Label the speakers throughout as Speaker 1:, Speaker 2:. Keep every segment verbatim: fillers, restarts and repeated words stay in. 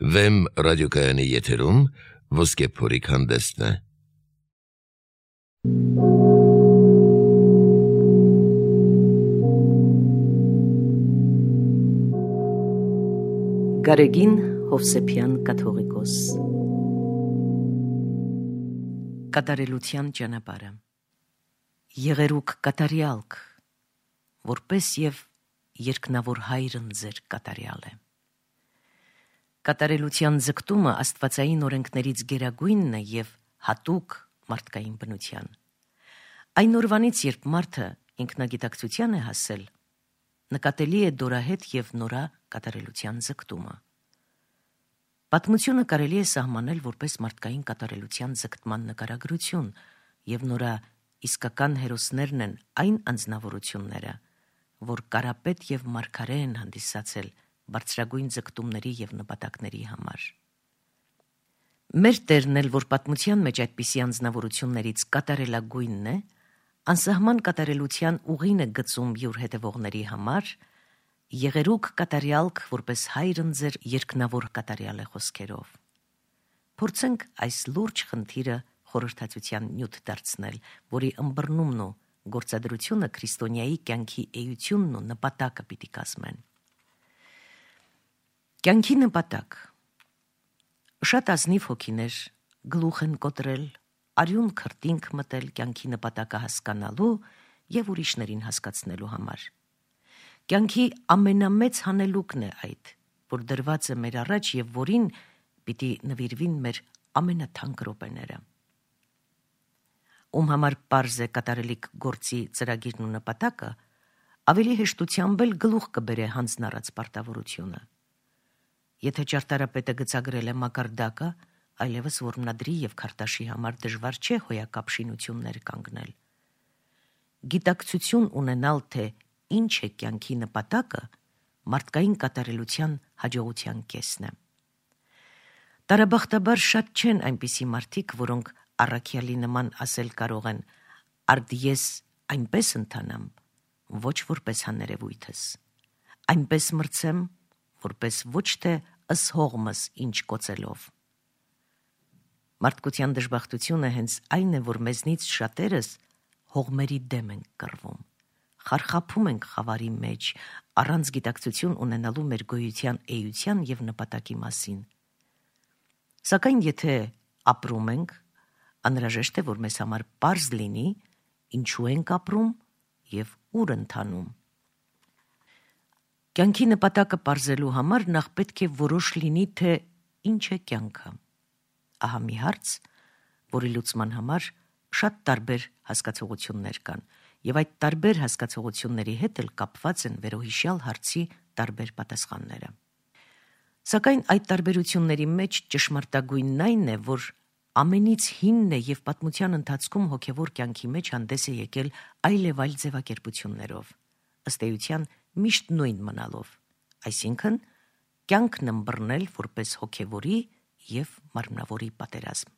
Speaker 1: Վեմ ռադիոկայանի եթերում ոսկե փորիկ հանդեսն է։
Speaker 2: Գարեգին Հովսեփյան կաթողիկոս Կատարելության ճանապարհը Եղերուկ կատարյալք, որպես եւ երկնավոր հայրն ձեր կատարյալ է։ Կատարելության ձգտումը աստվածային օրենքներից գերագույնն է եւ հատուկ մարդկային բնության։ Այն օրվանից, երբ մարդը ինքնագիտակցության է հասել, նկատելի է դորահետ եւ նորա կատարելության ձգտումը։ Պատմությունը կարելի է սահմանել որպես մարդկային կատարելության ձգտման նկարագրություն, եւ նորա իսկական հերոսներն են այն անձնավորությունները, որ կարապետ եւ մարգարե են հանդիսացել բարձրագույն ձգտումների եւ նպատակների համար։ Մեր Տերն էլ, որ պատմության մեջ այդպիսի անձնավորություններից կատարելագույնն է, անսահման կատարելության ուղին է գծում յուր հետևողների համար, եղերուկ կատարյալք, որպես հայրն ձեր երկնավոր կատարյալ է խոսքերով։ Փորձենք այս լուրջ խնդիրը խորհրդածության նյութ դարձնել, որի ըմբռնումն ու գործադրությունը քրիստոնյայի կյանքի էությունն ու նպատակը պիտի կազմեն։ Կյանքի նպատակ։ Շատ ազնիվ հոգիներ գլուխ են կոտրել, արյուն քրտինք մտել կյանքի նպատակը հասկանալու եւ ուրիշներին հասկացնելու համար։ Կյանքի ամենամեծ հանելուկն է այդ, որ դրված է մեր առաջ եւ որին պիտի նվիրվին մեր ամենաթանկ րոպեները։ Ում համար պարզ է կատարելիք գործի ծրագիրն ու նպատակը, ավելի հեշտությամբ էլ գլուխ կբերե հանձնառած պարտավորությունը։ Եթե ճարտարապետը գծագրել է մակարդակը, այլևս որմնադրի եւ քարտաշի համար դժվար չէ հոյակապ շինություններ կանգնել։ Գիտակցություն ունենալ, թե ինչ է կյանքի նպատակը, մարդկային կատարելության հաջողության կեսն է։ Տարաբախտաբար շատ չեն այնպիսի մարդիկ, որոնք առաքյալի նման ասել կարող են «Արդ ես այնպես ընթանամ, ոչ որպես հաներևույթս, այնպես մրցեմ, որպես ոչ թե ըս հողմս ինչ կոծելով»։ Մարդկության դժբախտությունը հենց այն է, որ մեզնից շատերս հողմերի դեմ ենք կռվում, խարխափում ենք խավարի մեջ, առանց գիտակցություն ունենալու մեր գոյության էության եւ նպատակի մասին։ Սակայն եթե ապրում ենք, անհրաժեշտ է, որ մեզ համար պարզ լինի, ինչու ենք ապրում եւ ուր ընթանում։ Կյանքի նպատակը պարզելու համար նախ պետք է որոշ լինի, թե ինչ է կյանքը։ Ահա մի հարց, որի լուծման համար շատ տարբեր հասկացողություններ կան, եւ այդ տարբեր հասկացողությունների հետ էլ կապված են վերոհիշյալ հարցի տարբեր պատասխանները։ Սակայն այդ տարբերությունների մեջ ճշմարտագույնն այն է, որ ամենից հինն է եւ պատմության ընթացքում հոգեվոր կյանքի մեջ հանդես է եկել այլև այլ ձևակերպություններով, ըստ էության միշտ նույն մնալով, այսինքն կյանքն ըմբռնել որպես հոգեվորի եւ մարմնավորի պատերազմ։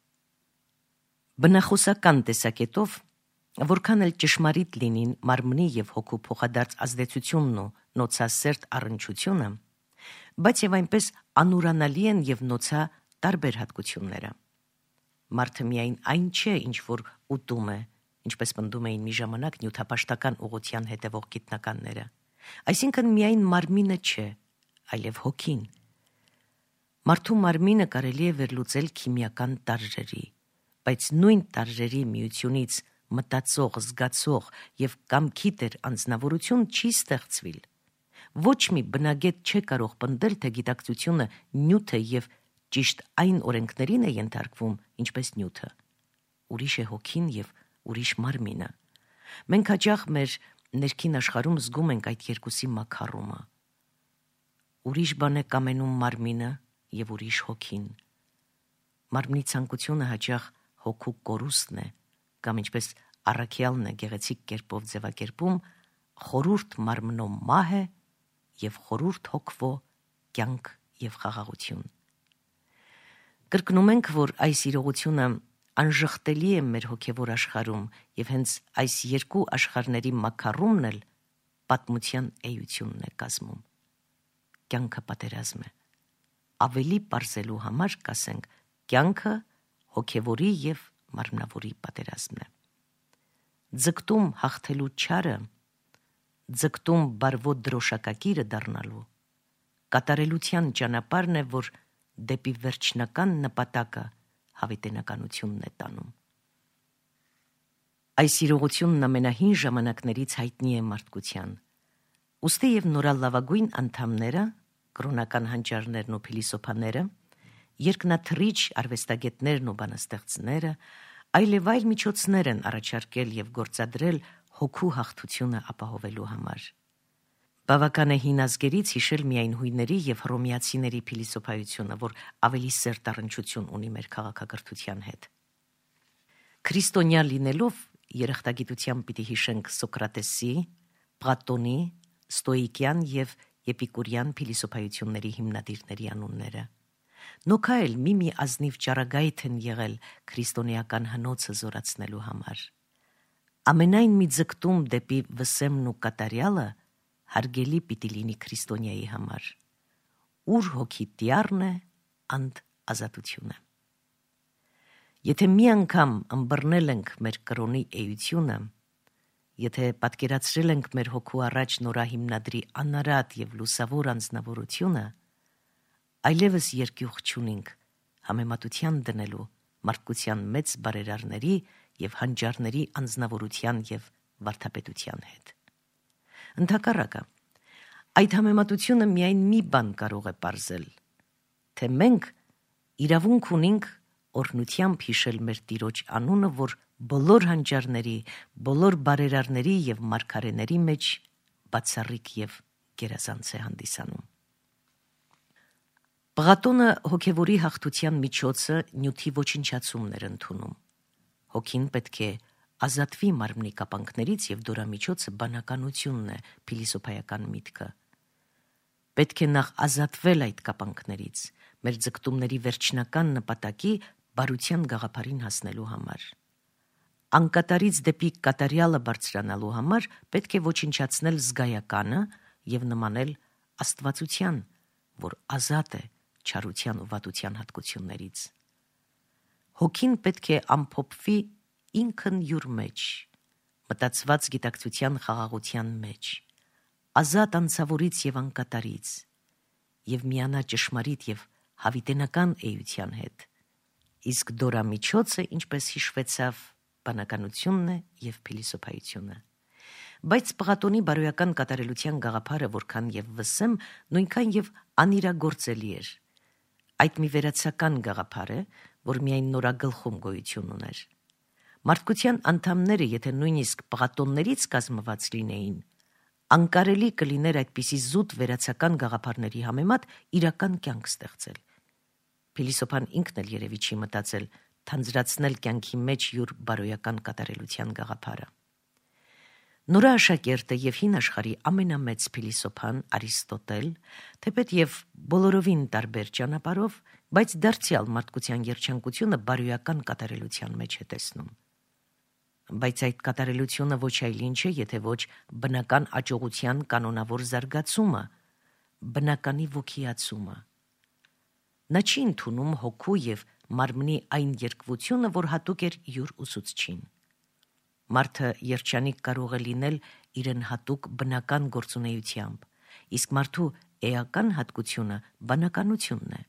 Speaker 2: Բնախոսական տեսակետով, որքան էլ ճշմարիտ լինին մարմնի եւ հոգու փոխադարձ ազդեցությունն ու նոցասերտ առնչությունը, բայց եւ այնպես անուրանալի են եւ նոցա տարբեր հատկությունները։ Մարդը միայն այն չէ, ինչ որ ուտում է, ինչպես պնդում էին մի ժամանակ նյութապաշտական ուղղության հետևող գիտնականները, այսինքն միայն մարմինը չէ, այլև հոգին։ Մարդու մարմինը կարելի է վերլուծել քիմիական տարրերի, բայց նույն տարրերի միությունից մտածող, զգացող եւ կամքի տեր անձնավորություն չի ստեղծվել։ Ոչ մի բնագետ չէ կարող պնդել, թե գիտակցությունը նյութ է եւ ճիշտ այն օրենքներին է ենթարկվում, ինչպես նյութը։ Ուրիշ է հոգին եւ ուրիշ մարմինը։ Մենք հաճախ մեր ներքին աշխարհում զգում ենք այդ երկուսի մաքարումը։ Ուրիշ բան է կամենում մարմինը եւ ուրիշ հոգին։ Մարմնի ցանկությունը հաճախ հոգու կորուստն է, կամ ինչպես առաքյալն է գեղեցիկ կերպով ձևակերպում, խորուրդ մարմնո մահ է եւ խորուրդ հոգվո կյանք եւ խաղաղություն։ Կրկնում ենք, որ այս իրողությունը անժխտելի է մեր հոգևոր աշխարհում եւ հենց այս երկու աշխարհների մաքարումն էլ պատմության էությունն է կազմում։ Կյանքը պատերազմ է, ավելի պարզելու համար կասենք կյանքը հոգևորի և մարմնավորի պատերազմն է։ Ձգտում հաղթելու չարը, ձգտում բարվոտ դրոշակակիրը դառնալու, կատարելության ճանապարհն է, որ դեպի վերջնական նպատակը հավիտենականությունն է տանում։ Այս իրողությունն ամենահին ժամանակներից հայտնի է մարդկության։ Ուստի և նորալավագույն անդամները, կրոնական հանճարներն ու փիլիսոփաները, երկնաթռիչ արվեստագետներն ու բանաստեղծները, այլև այլ միջոցներ են առաջարկել և գործադրել հոգու հաղթությունը ապահովելու համար։ Բավական է հին ազգերից հիշել միայն հույների և հռոմեացիների փիլիսոփայությունը, որ ավելի սերտ առնչություն ունի մեր քաղաքակրթության հետ։ Քրիստոնյա լինելով երախտագիտությամբ պիտի հիշենք Սոկրատեսի, Պլատոնի, Ստոիկյան և Էպիկուրյան փիլիսոփայությունների հիմնադիրների անունները։ Նոքա էլ մի-մի ազնիվ ճառագայթ են եղել քրիստոնեական հնոցը զորացնելու համար։ Ամենայն մի ձգտում դեպի վսեմն ու կատարյալը հարգելի պիտի լինի քրիստոնյայի համար։ Ուր հոգի տյառն է, անդ ազատությունը։ Եթե մի անգամ ըմբռնել ենք մեր կրոնի էությունը, եթե պատկերացրել ենք մեր հոգու առաջ նորահիմնադրի անարատ և լուսավոր անձնավորությունը, այլևս երկյուղ չունենք համեմատության դնելու մարդկության մեծ բարերարների և հանճարների անձնավորության և վարդապետության հետ։ Ընդհակառակը, այդ համեմատությունը միայն մի բան կարող է պարզել, թե մենք իրավունք ունենք օրհնությամբ հիշել մեր Տիրոջ անունը, որ բոլոր հանճարների, բոլոր բարերարների և մարգարեների մեջ բացառիկ և գերազանց է հանդիսանում։ Պլատոնը հոգևորի հաղթության միջոցը նյութի ոչնչացումն էր ընդունում։ Հոգին պետք է ազատվի մարմնի կապանքներից և դորամիջոցը բանականությունն է փիլիսոփայական միտքը։ Պետք է նախ ազատվել այդ կապանքներից, մեր ձգտումների վերջնական նպատակի բարության գաղափարին հասնելու համար։ Անկատարից դեպի կատարյալը բարձրանալու համար պետք է ոչնչացնել զգայականը և նմանել աստվածության, որ ազատ է չարության ու վատության հատկություններից։ Հոգին պետք է ամփոփվի ինքն յուր մեջ, մտածված գիտակցության խաղաղության մեջ, ազատ անձավորից և անկատարից, և միանա ճշմարիտ և հավիտենական էության հետ, իսկ դորամիջոցը, ինչպես հիշվեցավ, բանականությունն է և փիլիսոփայությունը։ Բայց Պլատոնի բարոյական կատարելության գաղափարը որքան և վսեմ, նույնքան և անիրագործելի էր։ Այդ մի վերացական գաղափար է, որ միայն նորագլխում գոյություն ուներ։ Մարդկության անդամները, եթե նույնիսկ Պլատոններից կազմված լինեին, անկարելի կլիներ այդպիսի զուտ վերացական գաղափարների համեմատ իրական կյանք ստեղծել։ Փիլիսոփան ինքն էլ երևի չի մտածել թանձրացնել կյանքի մեջ յուր բարոյական կատարելության գաղափարը։ Նորաաշակերտը և հին աշխարհի ամենամեծ փիլիսոփան Արիստոտել, թեպետ և բոլորովին տարբեր ճանապարհով, բայց դարձյալ մարդկության երջանկությունը բարոյական կատարելության մեջ է տեսնում։ Բայց այդ կատարելությունը ոչ այլ ինչ է, եթե ոչ բնական աճողության կանոնավոր զարգացումը, բնականի ոգիացումը։ Նա չի ընդունում հոգու և մարմնի այն երկվությունը, որ հատուկ էր յուր ուսուցչին։ Մարդը երջանիկ կարող է լինել իրեն հատուկ բնական գործունեությամբ, իսկ մարդու էական հատկությունը բանականությունն է։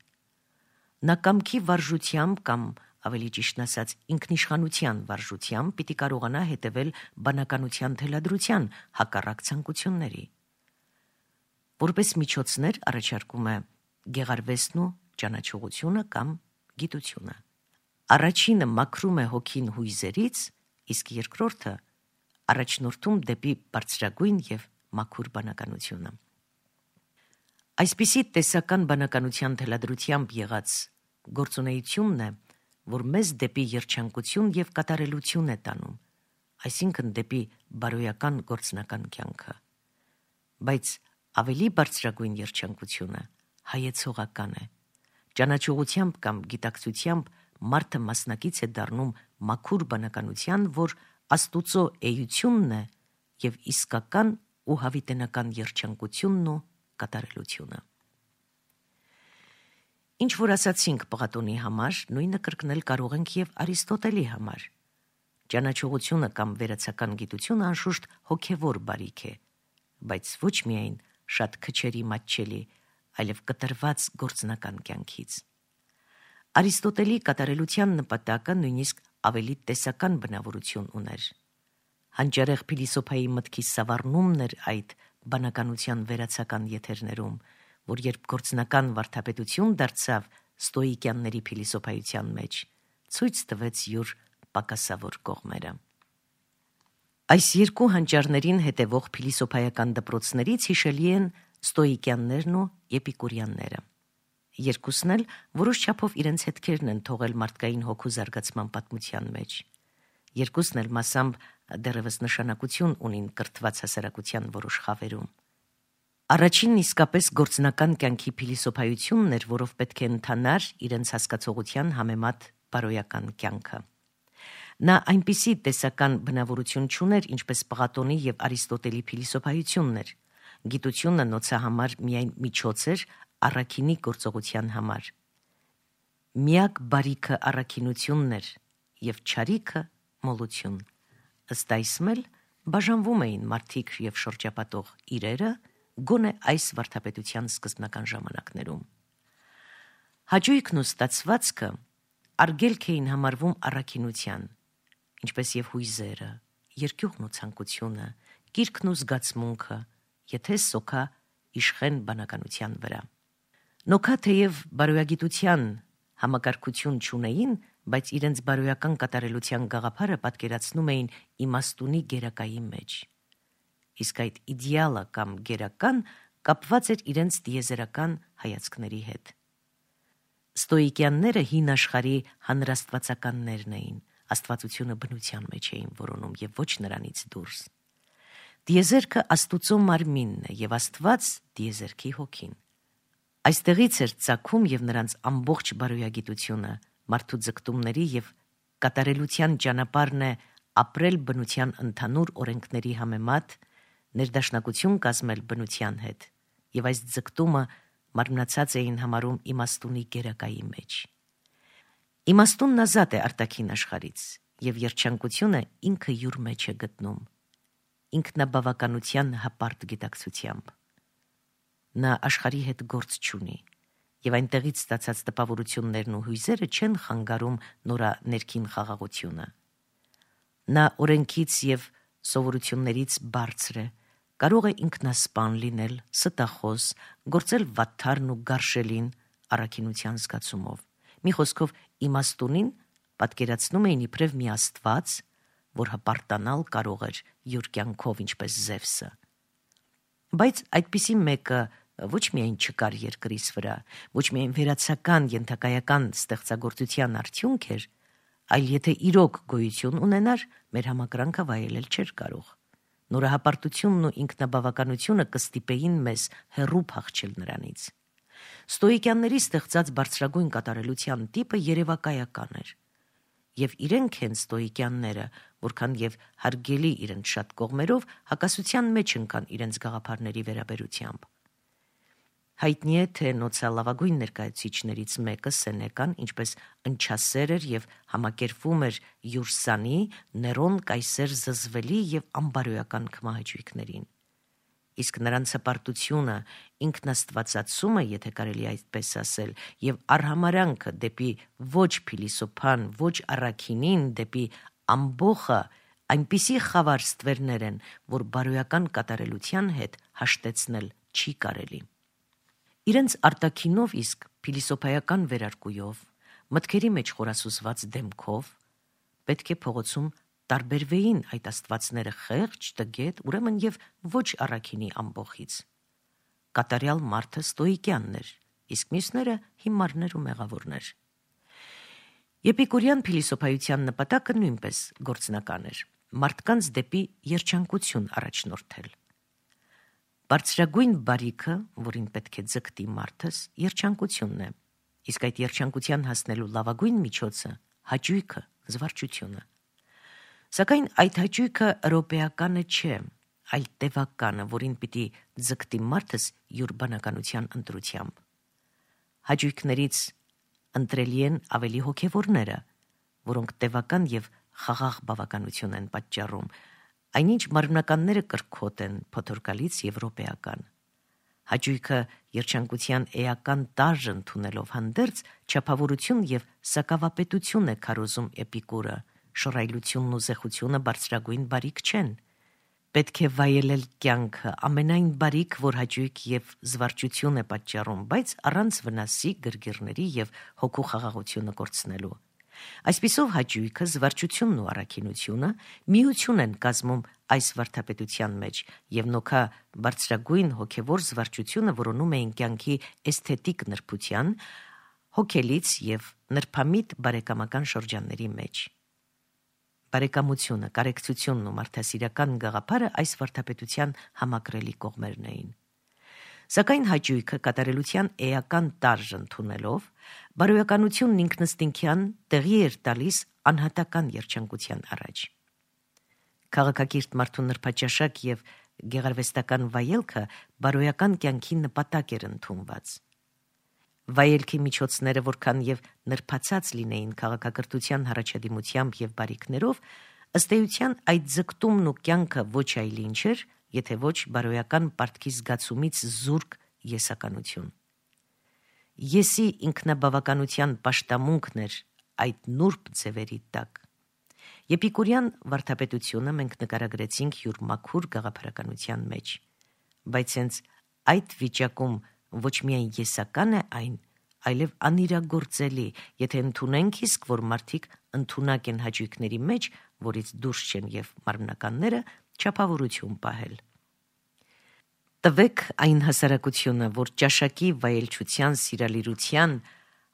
Speaker 2: Նա կամքի վարժությամբ կամ, ավելի ճիշտն ասած, ինքնիշխանության վարժությամբ պիտի կարողանա հետևել բանականության թելադրության հակառակ ցանկությունների։ Որպես միջոցներ առաջարկում է գեղարվեստն ու ճանաչողությունը կամ գիտությունը։ Առաջինը մաքրում է հոգին հույզերից, իսկ երկրորդը առաջնորդում դեպի բարձրագույն և մաքուր բանականությունը։ Այսպիսի տեսական բանականության թելադրությամբ եղած գործունեությունն է, որ մեզ դեպի երջանկություն և կատարելություն է տանում, այսինքն դեպի բարոյական գործնական կյանքը։ Բայց ավելի բարձրագույն երջանկությունը հայեցողական է։ Ճանաչողությամբ կամ գիտակցությամբ մարդը մասնակից է դառնում մաքուր բանականության, որ Աստուծո էությունն է և իսկական ու հավիտենական երջանկությունն ու կատարելությունը։ Ինչ որ ասացինք Պլատոնի համար, նույնը կրկնել կարող ենք եւ Արիստոտելի համար։ Ճանաչողությունը կամ վերացական գիտությունը անշուշտ հոգևոր բարիք է, բայց ոչ միայն շատ քչերի մատչելի, այլև կտրված գործնական կյանքից։ Արիստոտելի կատարելության նպատակը նույնիսկ ավելի տեսական բնավորություն ուներ։ Հանճարեղ փիլիսոփայի մտքի սավառնումն էր այդ բանականության վերացական եթերներում, որ երբ գործնական վարդապետություն դարձավ ստոիկյանների փիլիսոփայության մեջ, ցույց տվեց յուր պակասավոր կողմերը։ Այս երկու հանճարներին հետևող փիլիսոփայական դպրոցներից հիշելի են ստոիկյաններն ու էպիկուրյանները։ Երկուսն էլ որոշ չափով իրենց հետքերն են թողել մարդկային հոգու զարգացման պատմության մեջ։ Երկուսն էլ մասամբ դեռևս նշանակություն ունին կրթված հասարակության որոշ խավերում։ Առաջինն իսկապես գործնական կյանքի փիլիսոփայությունն էր, որով պետք է ընթանար իրենց հասկացողության համեմատ բարոյական կյանքը։ Նա այնպիսի տեսական բնավորություն չուներ, ինչպես Պլատոնի եւ Արիստոտելի փիլիսոփայությունն էր։ Գիտությունը նոցա համար միայն միջոց էր առաքինի գործողության համար։ Միակ բարիքը առաքինությունն էր եւ չարիքը մոլություն։ Ըստ այսմ էլ բաժանվում էին մարդիկ եւ շրջապատող իրերը գոնե այս վարդապետության սկզբնական ժամանակներում։ Հաճույքն ու ստացվածքը արգելք էին համարվում առաքինության, ինչպես եւ հույզերը, երկյուղն ու ցանկությունը, կիրքն ու զգացմունքը, եթե սոքա իշխեն բանականության վրա։ Նոքա թեև բարոյագիտության համակարգություն չունեին, բայց իրենց բարոյական կատարելության գաղափարը պատկերացնում էին իմաստունի գերակայի մեջ։ Իսկ այդ իդեալը կամ գերական կապված էր իրենց տիեզերական հայացքների հետ։ Ստոիկյանները հին աշխարհի հանրաստվածականներն էին, աստվածությունը բնության մեջ էին որոնում եւ ոչ նրանից դուրս։ Տիեզերքը Աստուծո մարմինն է եւ Աստված տիեզերքի հոգին։ Այստեղից էր ծագում եւ նրանց ամբողջ բարոյագիտությունը, մարդու ձգտումների եւ կատարելության ճանապարհն է ապրել բնության ընդհանուր օրենքների համեմատ, ներդաշնակություն կազմել բնության հետ, եւ այս ձգտումը մարմնացած էին համարում իմաստունի գերակայի մեջ։ Իմաստունն ազատ է արտաքին աշխարհից, եւ երջանկությունը ինքը յուր մեջ է գտնում, ինքնաբավականության հպարտ գիտակցությամբ։ Նա աշխարհի հետ գործ չունի, եւ այնտեղից ստացած տպավորություններն ու հույզերը չեն խանգարում նորա ներքին խաղաղությունը։ Նա օրենքից եւ սովորություններից բարձր է, կարող է ինքնասպան լինել, ստախոս, գործել վատթարն ու գարշելին առաքինության զգացումով։ Մի խոսքով իմաստունին պատկերացնում էին իբրև մի աստված, որ հպարտանալ կարող էր յուր կյանքով ինչպես Զևսը։ Բայց այդպիսի մեկը ոչ միայն չկար երկրից վրա, ոչ միայն վերացական ենթակայական ստեղծագործության արդյունք էր, այլ եթե իրոք գոյություն ունենար, մեր համակրանքը վայելել չէր կարող։ Նորահպարտությունն ու ինքնաբավականությունը կստիպեին մեզ հեռու փախչել նրանից։ Ստոիկյանների ստեղծած բարձրագույն կատարելության տիպը երևակայական էր, եւ իրենք են ստոիկյանները, որքան եւ հարգելի իրենց շատ կողմերով, հակասության մեջ ընկան իրենց գաղափարների վերաբերությամբ։ Հայտնի է, թե նոցա լավագույն ներկայացուցիչներից մեկը Սենեկան ինչպես ընչասեր էր եւ համակերպվում էր յուր սանի, Ներոն կայսեր զզվելի եւ անբարոյական քմահաճույքներին։ Իսկ նրանց հպարտությունը, ինքնաստվածացումը, եթե կարելի այդպես ասել, եւ արհամարանքը դեպի ոչ փիլիսոփան, ոչ առաքինին, դեպի ամբողը այնպիսի խավար ստվերներ են, որ բարոյական կատարելության հետ հաշտեցնել չի կարելի։ Իրենց արտաքինով իսկ փիլիսոփայական վերարկուով, մտքերի մեջ խորասուզված դեմքով պետք է փողոցում տարբերվեին այդ աստվածները խեղճ, տգետ, ուրեմն եւ ոչ առաքինի ամբողից։ Կատարյալ մարդը ստոիկյանն էր, իսկ մյուսները հիմարներ ու մեղավորներ։ Էպիկուրյան փիլիսոփայության նպատակը նույնպես գործնական էր՝ մարդկանց դեպի երջանկություն առաջնորդել։ Բարձրագույն բարիքը, որին պետք է ձգտի մարդս, երջանկությունն է, իսկ այդ երջանկության հասնելու լավագույն միջոցը հաճույքը, զվարճությունը։ Սակայն այդ հաճույքը րոպեականը չէ, այլ տևականը, որին պիտի ձգտի մարդս յուր բանականության ընտրությամբ։ Հաճույքներից ընտրելի են ավելի հոգևորները, որոնք տևական եւ խաղաղ բավականություն են պատճառում, այնինչ մարմնականները կրքոտ են, փոթորկալից եվրոպեական։ Հաճույքը երջանկության էական տարր ընդունելով հանդերձ չափավորություն եւ սակավապետություն է քարոզում Էպիկուրը, շռայլությունն ու զեխությունը բարձրագույն բարիք չեն։ Պետք է վայելել կյանքը, ամենայն բարիք, որ հաճույք եւ զվարճություն է պատճառում, բայց առանց վնասի, գրգիռների եւ հոգու խաղաղությունը կորցնելու։ Այսպիսով հաճույքը, զվարճությունն ու առաքինությունը միություն են կազմում այս վարդապետության մեջ եւ նոքա բարձրագույն հոգեվոր զվարճությունը որոնում էին կյանքի էսթետիկ նրբության, հոգելից եւ նրբամիտ բարեկամական շրջանների մեջ։ Բարեկամությունը, կարեկցությունն ու մարդասիրական գաղափարը այս վարդապետության համակրելի կողմերն էին։ Սակայն հաճույքը կատարելության էական տարր ընդունելով, բարոյականությունն ինքնըստինքյան տեղի էր տալիս անհատական երջանկության առաջ։ Քաղաքակիրթ մարդու նրբաճաշակ եւ գեղարվեստական վայելքը բարոյական կյանքի նպատակ էր ընդունված։ Վայելքի միջոցները որքան եւ նրբացած լինեին քաղաքակրթության հառաջադիմությամբ եւ բարիքներով, ըստ էության այդ ձգտումն ու կյանքը ոչ այլ ինչ էր, եթե ոչ բարոյական պարտքի զգացումից զուրկ եսականություն։ Եսի ինքնաբավականության պաշտամունքն էր այդ նուրբ ձևերի տակ։ Էպիկուրյան վարդապետությունը մենք նկարագրեցինք յուր մաքուր գաղափարականության մեջ, բայց հենց այդ վիճակում ոչ միայն եսական է այն, այլև անիրագործելի, եթե ընդունենք իսկ, որ մարդիկ ընդունակ են հաճույքների մեջ, որից դուրս չեն եւ մարմնականները չափավորություն պահել։ Տվեք այն հասարակությունը, որ ճաշակի վայելչության սիրալիրության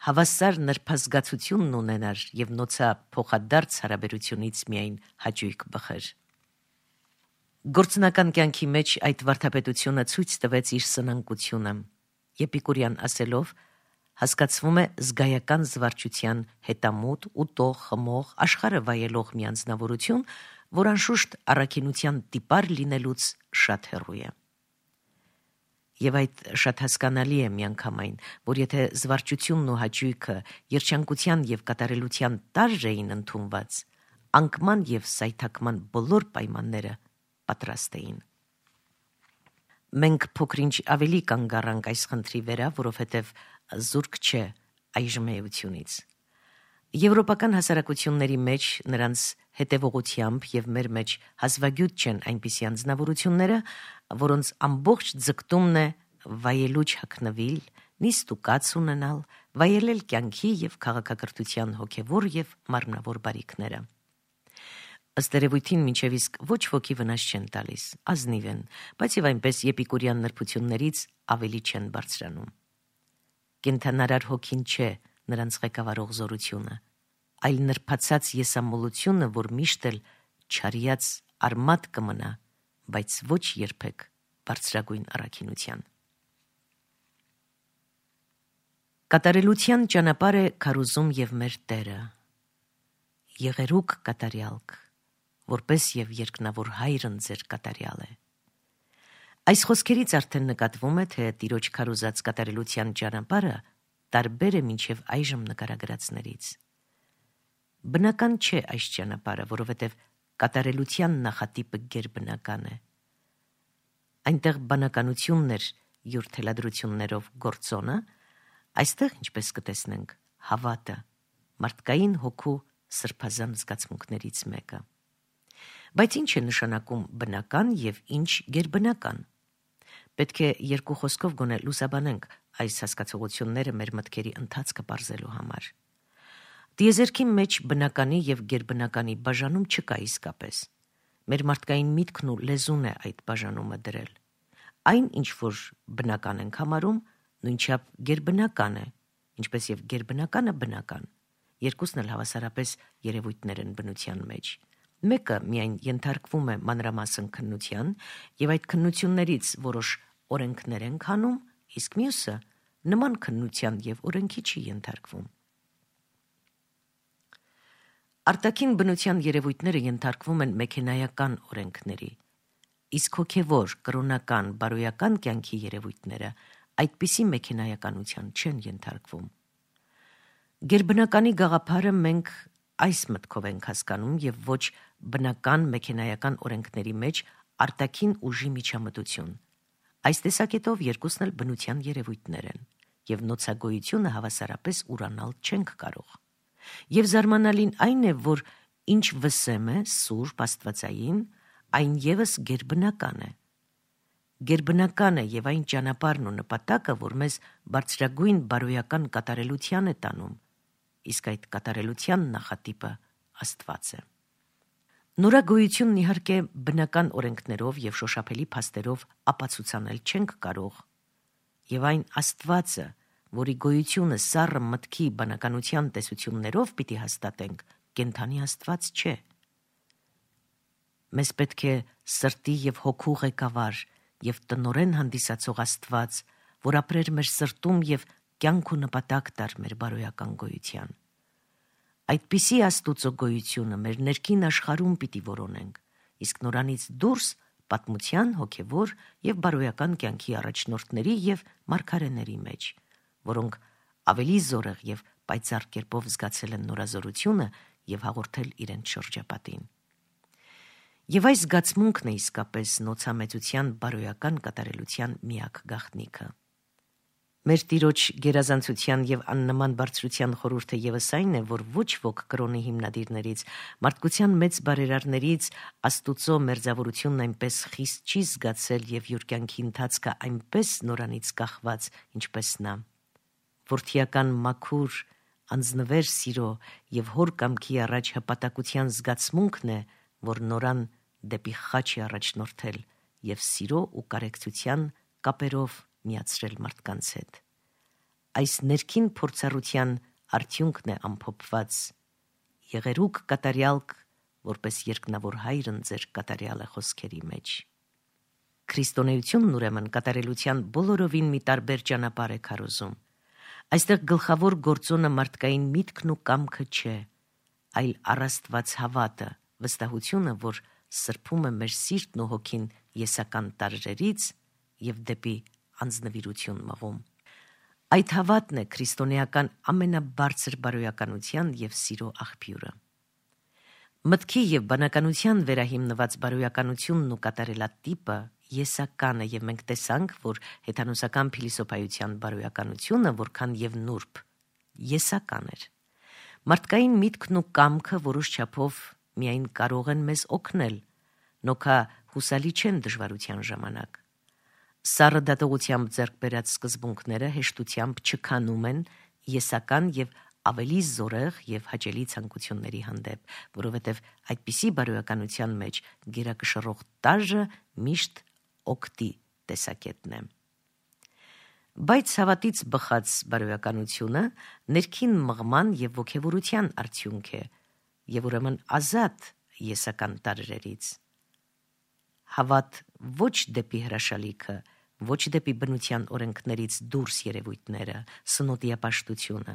Speaker 2: հավասար նրբազգացությունն ունենար եւ նոցա փոխադարձ հարաբերությունից միայն հաճույք բխեր։ Գործնական կյանքի մեջ այդ վարդապետությունը ցույց տվեց իր սնանկությունը։ Էպիկուրյան ասելով, հասկացվում է զգայական զվարճության հետամուտ, ուտող, խմող, աշխարհը վայելող մի անձնավորություն, որ անշուշտ առաքինության տիպար լինելուց շատ հեռու է։ Եվ այդ շատ հասկանալի է միանգամայն, որ եթե զվարճությունն ու հաճույքը երջանկության եւ կատարելության տարր էին ընդունված, անկման եւ սայթակման բոլոր պայմանները պատրաստ էին։ Մենք փոքրինչ ավելի կանգ առանք այս խնդրի վրա, որովհետև զուրկ չէ այժմ էությունից։ Եվրոպական հասարակությունների մեջ նրանց հետևողությամբ եւ մեր մեջ հազվագյուտ չեն այնպիսի անձնավորությունները, որոնց ամբողջ ձգտումն է վայելուչ հագնվել, նիստ ու կաց ունենալ, վայելել կյանքի եւ քաղաքակրթության հոգեվոր եւ մարմնավոր բարիքները։ Ըստ երևույթին մինչև իսկ ոչ ոքի վնաս չեն տալիս, ազնիվ են, բայց եւ այնպես էպիկուրյան նրբություններից ավելի չեն բարձրանում։ Կենթանարար հոգին չէ նրանց ղեկավարող զորությունը, այլ նրբացած եսամոլությունը, որ միշտ էլ չարյած արմատ կմնա, բայց ոչ երբեք բարձրագույն առաքինության։ Կատարելության ճանապարհ է քարոզում եւ մեր Տերը։ Եղերուկ կատարյալք, որպես եւ երկնավոր հայրն ձեր կատարյալ է։ Այս խոսքերից արդեն նկատվում է, թե Տիրոջ քարոզած կատարելության ճանապարհը տարբեր է մինչև այժմ նկարագրածներից։ Բնական չէ այս ճանապարհը, որովհետև կատարելության նախատիպը գերբնական է։ Այնտեղ բանականությունն էր յուր թելադրություններով գործոնը, այստեղ, ինչպես կտեսնենք, հավատը, մարդկային հոգու սրբազան զգացմունքներից մեկը։ Բայց ինչ է նշանակում բնական եւ ինչ գերբնական։ Պետք է երկու խոսքով գոնե լուսաբանենք այս հասկացողությունները մեր մտքերի ընթացքը բարձելու համար։ Տիեզերքի մեջ բնականի եւ գերբնականի բաժանում չկա իսկապես։ Մեր մարդկային միտքն ու լեզուն է այդ բաժանումը դրել։ Այն, ինչ որ բնական ենք համարում, նույնչափ գերբնական է, ինչպես եւ գերբնականը բնական։ Երկուսն էլ հավասարապես երևույթներ են բնության մեջ։ Մեկը միայն ենթարկվում է մանրամասն քննության եւ այդ քննություններից որոշ օրենքներ են քանում, իսկ մյուսը նման քննության եւ օրենքի չի ենթարկվում։ Արտաքին բնության երևույթները ենթարկվում են մեքենայական օրենքների, իսկ հոգեվոր, կրոնական, բարոյական կյանքի երևույթները այդպիսի մեքենայականության չեն ենթարկվում։ Գերբնականի գաղափարը մենք այս մտքով ենք հասկանում եւ ոչ բնական մեքենայական օրենքների մեջ արտաքին ուժի միջամտություն։ Այս տեսակետով երկուսն էլ բնության երևույթներ են եւ նոցագոյությունը հավասարապես ուրանալ չենք կարող։ Եվ զարմանալին այն է, որ ինչ վսեմ է սուրբ աստվածային, այն եւս գերբնական է։ Գերբնական է եւ այն ճանապարհն ու նպատակը, որ մեզ բարձրագույն բարոյական կատարելության է տանում, իսկ այդ կատարելության նախատիպը Աստված է։ Նորագոյությունն իհարկե բնական օրենքներով եւ շոշափելի փաստերով ապացուցանել չենք կարող, եւ այն Աստվածը, որի գոյությունը սառը մտքի բանականության տեսություններով պիտի հաստատենք, կենդանի Աստված չէ։ Մեզ պետք է սրտի եւ հոգու ղեկավար եւ տնորեն հանդիսացող Աստված, որ ապրեր մեր սրտում եւ կյանք ու նպատակ տար մեր բարոյական գոյության։ Այդպիսի Աստուծո գոյությունը մեր ներքին աշխարհում պիտի որոնենք, իսկ նորանից դուրս պատմության հոգևոր եւ բարոյական կյանքի առաջնորդների եւ մարգարեների մեջ, որոնք ավելի զորեղ եւ պայծառ կերպով զգացել են նորազորությունը եւ հաղորդել իրենց շրջապատին։ Եվ այս զգացմունքն է իսկապես նոցամեծության բարոյական կատարելության միակ գաղտնիքը։ Մեր Տիրոջ գերազանցության եւ աննման բարձրության խորհուրդը եւս այն է, որ ոչ ոք կրոնի հիմնադիրներից, մարդկության մեծ բարերարներից Աստուծո մերձավորությունն այնպես խիստ չի զգացել եւ յուր կյանքի ընթացքը այնպես նորանից կախված, ինչպես նա։ Որդիական մաքուր, անձնվեր սիրո եւ հոր կամքի առաջ հպատակության զգացմունքն է, որ նորան դեպի խաչ է առաջնորդել եւ սիրո ու կարեկցության կապերով միացրել մարդկանց հետ։ Այս ներքին փորձառության արդյունքն է ամփոփված եղերուկ կատարյալք, որպես երկնավոր հայրն ձեր կատարյալ է խոսքերի մեջ։ Քրիստոնեությունն ուրեմն կատարելության բոլորովին մի տարբեր ճանապարհ է քարոզում։ Այստեղ գլխավոր գործոնը մարդկային միտքն ու կամքը չէ, այլ առաստված հավատը, վստահությունը, որ սրբում է մեր սիրտն ու հոգին եսական տարրերից եւ դեպի անձնվիրություն մղում։ Այդ հավատն է քրիստոնեական ամենաբարձր բարոյականության եւ սիրո աղբյուրը։ Մտքի եւ բանականության վերահիմնված բարոյականությունն ու կատարելատիպը եսական է եւ մենք տեսանք, որ հեթանոսական փիլիսոփայության բարոյականությունը որքան եւ նուրբ եսական էր։ Մարդկային միտքն ու կամքը որոշ չափով միայն կարող են մեզ օգնել, նոքա հուսալի չեն դժվարության ժամանակ։ Սառը դատողությամբ ձեռք բերած սկզբունքները հեշտությամբ չքանում են եսական եւ ավելի զորեղ եւ հաճելի ցանկությունների հանդեպ, որովհետեւ այդպիսի բարոյականության մեջ գերակշռող տարրը միշտ օգտի տեսակետն է։ Բայց հավատից բխած բարոյականությունը ներքին մղման եւ ոգևորության արդյունք է եւ ուրեմն ազատ եսական տարրերից։ Հավատ ոչ դեպի հրաշալիքը, ոչ դեպի բնության օրենքներից դուրս երևույթները, սնոտիապաշտությունը,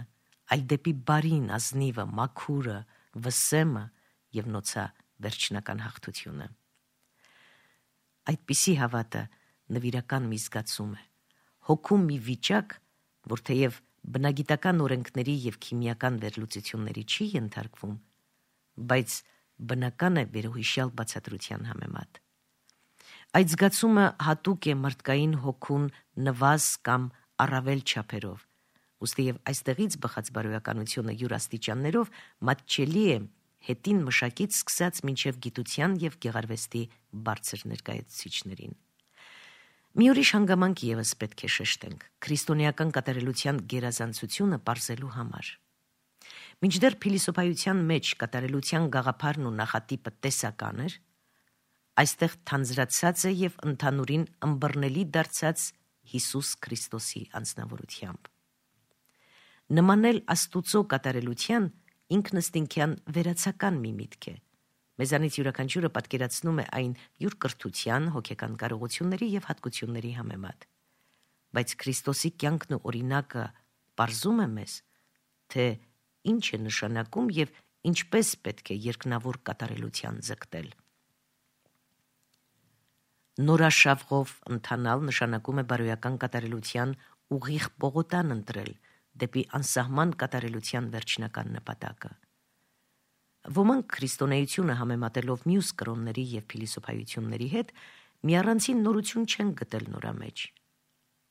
Speaker 2: այլ դեպի բարին, ազնիվը, մաքուրը, վսեմը եւ նոցա վերջնական հաղթությունը։ Այդպիսի հավատը նվիրական մի զգացում է, հոգում մի վիճակ, որ թեև բնագիտական օրենքների եւ քիմիական վերլուծությունների չի ենթարկվում, բայց բնական է վերոհիշյալ բացատրության համեմատ։ Այդ զգացումը հատուկ է մարդկային հոգուն նվազ կամ առավել չափերով, ուստի եւ այստեղից բխած բարոյականությունը յուր աստիճաններով մատչելի է հետին մշակից սկսած մինչև գիտության եւ գեղարվեստի բարձր ներկայացուցիչներին։ Մի ուրիշ հանգամանք եւս պետք է շեշտենք քրիստոնեական կատարելության գերազանցությունը պարզելու համար։ Մինչդեռ փիլիսոփայության մեջ կատարելության գաղափարն ու նախատիպը տեսական էր, այստեղ թանձրացած է եւ ընդհանուրին ըմբռնելի դարձած Հիսուս Քրիստոսի անձնավորությամբ։ Նմանել Աստուծո կատարելության ինքնըստինքյան վերացական մի միտք է։ Մեզանից յուրաքանչյուրը պատկերացնում է այն յուր կրթության, հոգեկան կարողությունների եւ հատկությունների համեմատ։ Բայց Քրիստոսի կյանքն ու օրինակը պարզում է մեզ, թե ինչ է նշանակում եւ ինչպես պետք է երկնավոր կատարելության ձգտել։ Նորաշավղով ընթանալ նշանակում է բարոյական կատարելության ուղիղ պողոտան ընտրել դեպի անսահման կատարելության վերջնական նպատակը։ Ոմանք քրիստոնեությունը համեմատելով մյուս կրոնների եւ փիլիսոփայությունների հետ մի առանցին նորություն չեն գտել նորա մեջ։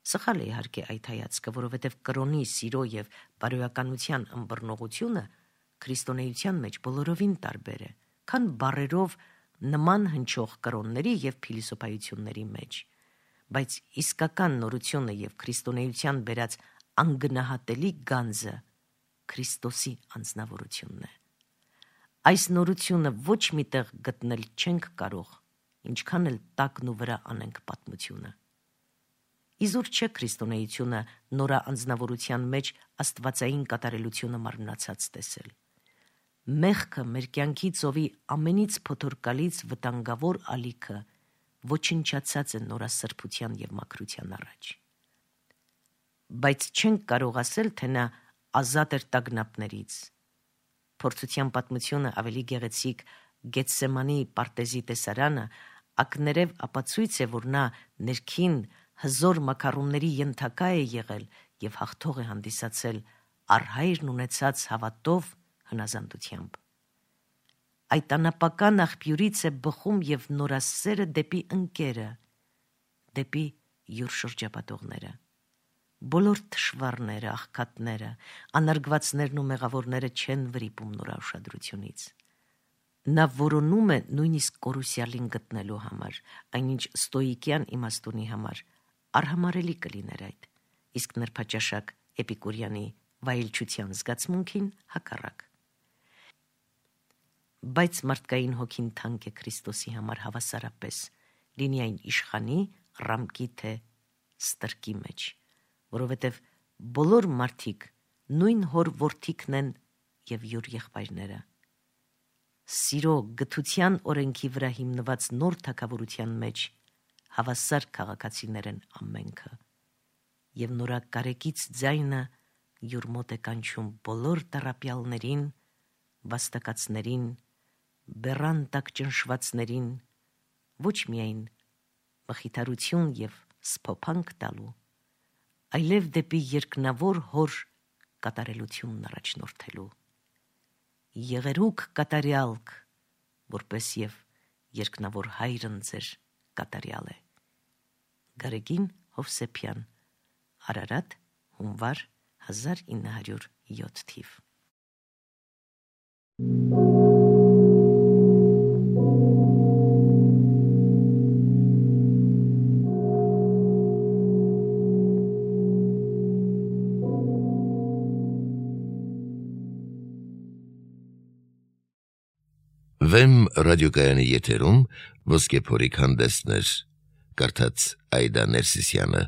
Speaker 2: Սխալ է իհարկե այդ հայացքը, որովհետև կրոնի սիրո եւ բարոյականության ըմբռնողությունը քրիստոնեության մեջ բոլորովին տարբեր է, քան բառերով նման հնչող կրոնների եւ փիլիսոփայությունների մեջ, բայց իսկական նորությունը եւ քրիստոնեության բերած անգնահատելի գանձը Քրիստոսի անձնավորությունն է։ Այս նորությունը ոչ միտեղ գտնել չենք կարող, ինչքան էլ տակն ու վրա անենք պատմությունը։ Իզուր չէ քրիստոնեությունը նորա անձնավորության մեջ աստվածային կատարելությունը մարմնացած տեսել։ Մեղքը մեր կյանքի ծովի ամենից փոթորկալից վտանգավոր ալիքը ոչնչացած է նորա սրբության եւ մաքրության առաջ։ Բայց չենք կարող ասել, թե նա ազատ էր տագնապներից։ Փորձության պատմությունը ավելի գեղեցիկ Գեթսեմանի պարտեզի տեսարանը ակներև ապացույց է, որ նա ներքին հզոր մակարոնների ենթակա է եղել եւ հաղթող է հանդիսացել առհայրն ունեցած հավատով հնազանդությամբ։ Այդ անապական աղբյուրից է բխում եւ նորասերը դեպի ընկերը, դեպի յուր շրջապատողները։ Բոլոր թշվառները, աղքատները, անարգվածներն ու մեղավորները չեն վրիպում նորա ուշադրությունից։ Նա որոնում է նույնիսկ կորուսյալին գտնելու համար, այնինչ ստոիկյան իմաստունի համար արհամարելի կլիներ այդ, իսկ նրբաճաշակ Էպիկուրյանի վայելչության զգացմունքին հակառակ։ Բայց մարդկային հոգին թանկ է Քրիստոսի համար հավասարապես, լինի այն իշխանի, ռամկի թե ստրկի մեջ, որովհետև բոլոր մարդիկ նույն հոր որդիքն են եւ յուր եղբայրները։ Սիրո գթության օրենքի վրա հիմնված նոր թագավորության մեջ հավասար քաղաքացիներ են ամենքը, եւ նորա կարեկից ձայնը յուր մոտ է կանչում բոլոր տառապյալներին, վաստակացներին, բեռան տակ ճնշվածներին, ոչ միայն մխիթարություն եւ սփոփանք տալու, այլև դեպի երկնավոր հոր կատարելությունն առաջնորդելու։ Եղերուք կատարյալք, որպես եւ երկնավոր հայրն ձեր կատարյալ է։ Գարեգին Հովսեփյան, Արարատ, հունվար հազար ինը հարյուր յոթ թիվ։
Speaker 1: Վեմ ռադիոկայանի եթերում ոսկե փորիկ հանդեսներ, կարդաց Այդա Ներսիսյանը։